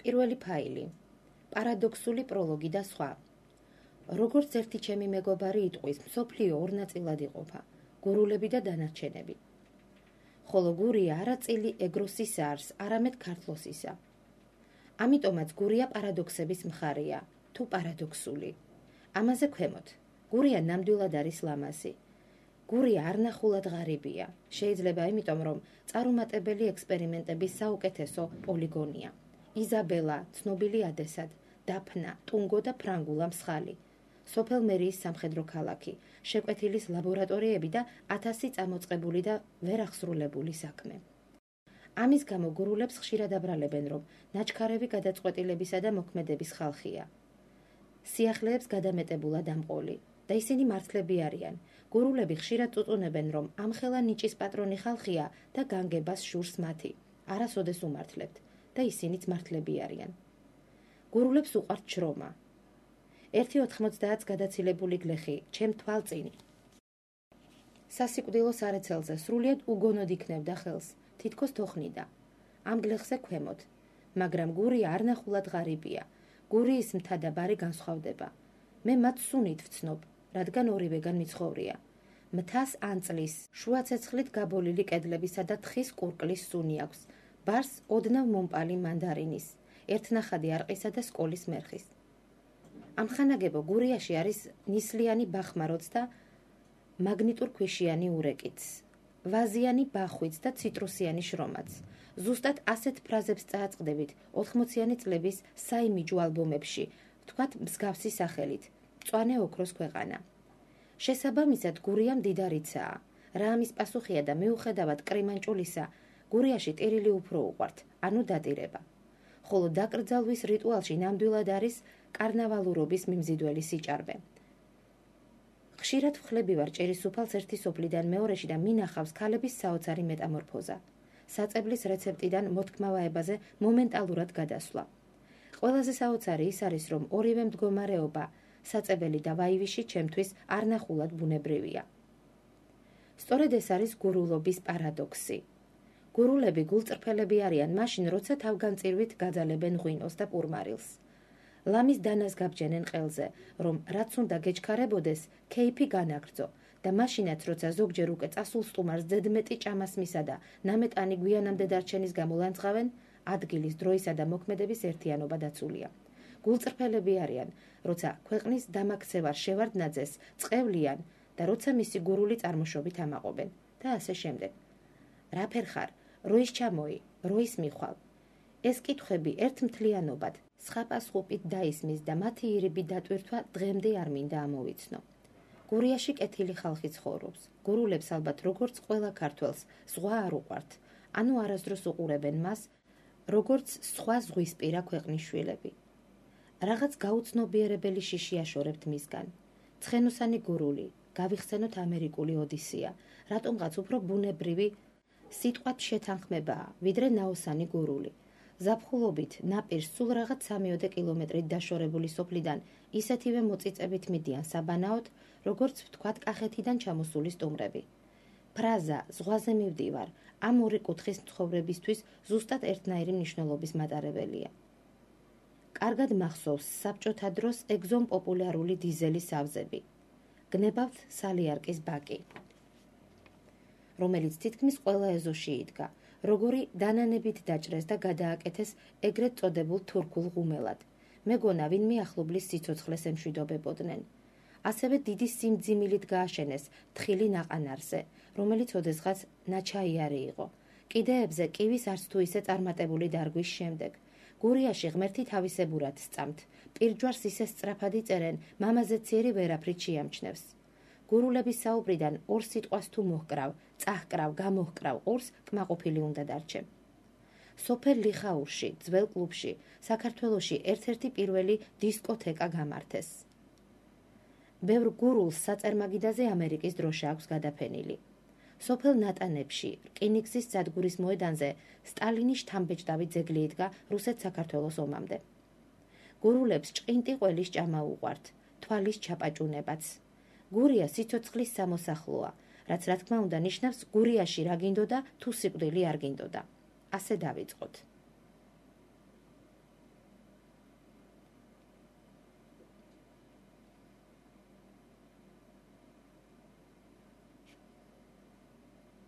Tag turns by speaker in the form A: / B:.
A: პირველი ფაილი. პარადოქსული პროლოგი და სხვა. როგორც ერთი ჩემი მეგობარი იტყვის, მსოფლიო ორ ნაწილად იყოფა: გურულები და დანარჩენები. ხოლო გურია არა წილი ეგროსისა არს, არამედ ქართლოსისა. ამიტომაც გურია პარადოქსების მხარეა, თუ პარადოქსული. ამაზე ქვემოთ. გურია ნამდვილად არის ლამაზი. გურია არნახულად ღარიბია. შეიძლება იმიტომ, რომ წარუმატებელი ექსპერიმენტების საუკეთესო პოლიგონია. იზაბელა, ცნობილი ადესად, დაფნა, ტუნგო და ფრანგულა მსხალი. სოფელ მერიის სამხედრო ქალაქი, შეკვეთილის ლაბორატორიები და 1000 წამოწყებული და ვერ აღსრულებული საქმე. ამის გამო გურულებს ხშირად აბრალებენ, რომ ნაჩქარევი გადაწყვეტილებისა და მოქმედების ხალხია. სიახლეებს გადამეტებულად ამყოლი და ისინი მართლები არიან. გურულები ხშირად წუწუნებენ, რომ ამხელა ნიჭის პატრონი ხალხია და განგებას შურს მათი. არასოდეს უმართლებთ და ისინიც მართლები არიან. გურულებს უყვართ შრომა. 1.90 გადაცილებული გლეხი, ჩემ თვალწინი. სასიკვდილო სარეცელზე სრულიად უგონოდ იქნევდა ხელს, თითქოს თოხნიდა. ამ გლეხზე ქვემოთ. მაგრამ გურია არნახულად ღარიბია. გურიის მთა და ბარი განსხვავდება. მე მათ სუნით ვცნობ, რადგან ორივეგან მიცხოვრია. მთას ანწლის, შუა ცეცხლით გაბოლილი კედლებისა და თხის კურკლის სუნი აქვს. ბარს ოდნავ მომპალი მანდარინის, ერთნახადი არყისა და სკოლის მერხის. ამხანაგებო გურიაში არის ნისლიანი ბახმაროც და მაგნიტურ ქვიშიანი ურეკიც, ვაზიანი ბახვიც და ციტრუსიანი შრომაც. ზუსტად ასეთ ფრაზებს წააწყდებით 80-იანი წლების საიმიჯო ალბომებში, ვთქვათ მსგავსი სახელით, მწვანე ოქროს ქვეყანა. შესაბამისად, გურია მდიდარიცაა. რა ამის პასუხია და მიუხედავად კრიმანჭულისა, გურიაში ტირილი უფრო უყვართ, ანუ დატირება. ხოლო დაკრძალვის რიტუალში ნამდვილად არის კარნავალურობის მიმზიდველი სიჭარბე. ხშირად ვხლები ვარ ჭირისუფალს ერთი სოფლიდან მეორეში და მინახავს ქალების საოცარი მეტამორფოზა. საწებლის რეცეპტიდან მოთქმავაებაზე მომენტალურად გადასვლა. ყველაზე საოცარი ის არის, რომ ორივე მდგომარეობა, საწებელი და ვაივიში ჩემთვის არნახულად ბუნებრივია. სწორედ ეს არის გურულობის პარადოქსი. გურულები გულწრფელები არიან მაშინ, როცა თავგანწირვით გაძალებენ ღვინოს და პურმარილს. ლამის დანას გაბჯენენ ყელზე, რომ რაც უნდა გეჩქარებოდეს, ქეიფი განაგრძო და მაშინაც, როცა ზოგჯერ უკვე წასულ სტუმარს ზედმეტი ჭამასმისა და ნამეტანი გვიანამდე დარჩენის გამო ლანძღავენ, ადგილის, დროისა და მოქმედების ერთიანობა დაცულია. გულწრფელები არიან, როცა ქვეყნის დამაქცევარ შევარდნაძეს წყევლიან და როცა მისი გურული წარმოშობით ამაყობენ და ასე შემდეგ. რაფერ ხარ, როის ჩამოი, როის მიხვალ. ეს კითხვები ერთმთლიანობად, სხაპასხუპით დაისმის და მათი ირიბი დატვირთვა დღემდე არ მინდა ამოვიცნო. გურიაში კეთილი ხალხი ცხოვრობს. გურულებს ალბათ როგორც ყველა ქართველს ზღვა არ უყვართ, ანუ არასდროს უყურებენ მას, როგორც სხვა ზღვისპირა ქვეყნის შვილები. რაღაც გაუცნობიერებელი შიში აშორებთ მისგან. ცხენოსანი გურული, გავიხსენოთ ამერიკული ოდისია, რატომღაც უფრო ბუნებრივი სიტყვათ შეთანხმებაა, ვიდრე ნაოსანი გურული. ზაფხულობით ნაპირს სულ რაღაც 3 კილომეტრით დაშორებული სოფლიდან ისეთივე მოწიწებით მიდიან საბანაოდ, როგორც ვთქვათ კახეთიდან ჩამოსული სტუმრები. ფრაზა ზღვაზე მივდივარ ამ ორი კუთხის მცხოვრებისთვის ზუსტად ერთნაირი მნიშვნელობის მატარებელია. კარგად მახსოვს საბჭოთა დროს ეგზომ პოპულარული დიზელის ავზები. გნებავთ სალიარკის ბაკი, რომელიც თითქმის ყველა ეზოში იდგა, როგორი დანანებით დაჭრეს და გადააკეთეს ეგრეთ წოდებულ თურქულ ღუმელად. მეგონა ვინმე ახლობლის სიცოცხლეს ემშვიდობებოდნენ. ასევე დიდი სიმძიმილით გააშენეს თხილი ნაყანარზე, რომელიც ოდესღაც ნაჩაიარი იყო. კიდეებზე კივის არც თუ ისე წარმატებული დარგვის შემდეგ. გურიაში ღმერთი თავისებურად სწამთ. პირჯვარს ისე სწრაფად იწერენ, მამაზე ციერი ვერაფრით შეამჩნევს. გურულების საუბრიდან ორ სიტყვას თუ მოჰკრავ, წაჰკრავ, გამოჰკრავ, ორს კმაყოფილი უნდა დარჩე. სოფელ ლიხაურში, ძველ კლუბში, საქართველოში ერთ-ერთი პირველი დისკოთეკა გამართეს. ბევრ გურულს საწარმაგიდაზე ამერიკის დროშა აქვს გადაფენილი. სოფელ ნატანებში, რკინიგზის სადგურის მოედანზე სტალინის შთამბეჭდავი ძეგლი იდგა რუსეთ-საქართველოს ომამდე. გურულებს ჭყინტი ყველის ჭამა უყვართ, თვალის ჩაპაჭუნებაც. გურია სიცოცხლის სამოსახლოა, რაც რა თქმა უნდა ნიშნავს გურიაში რა გინდოდა თუ სიკვდილი არ გინდოდა. ასე დავიწყოთ.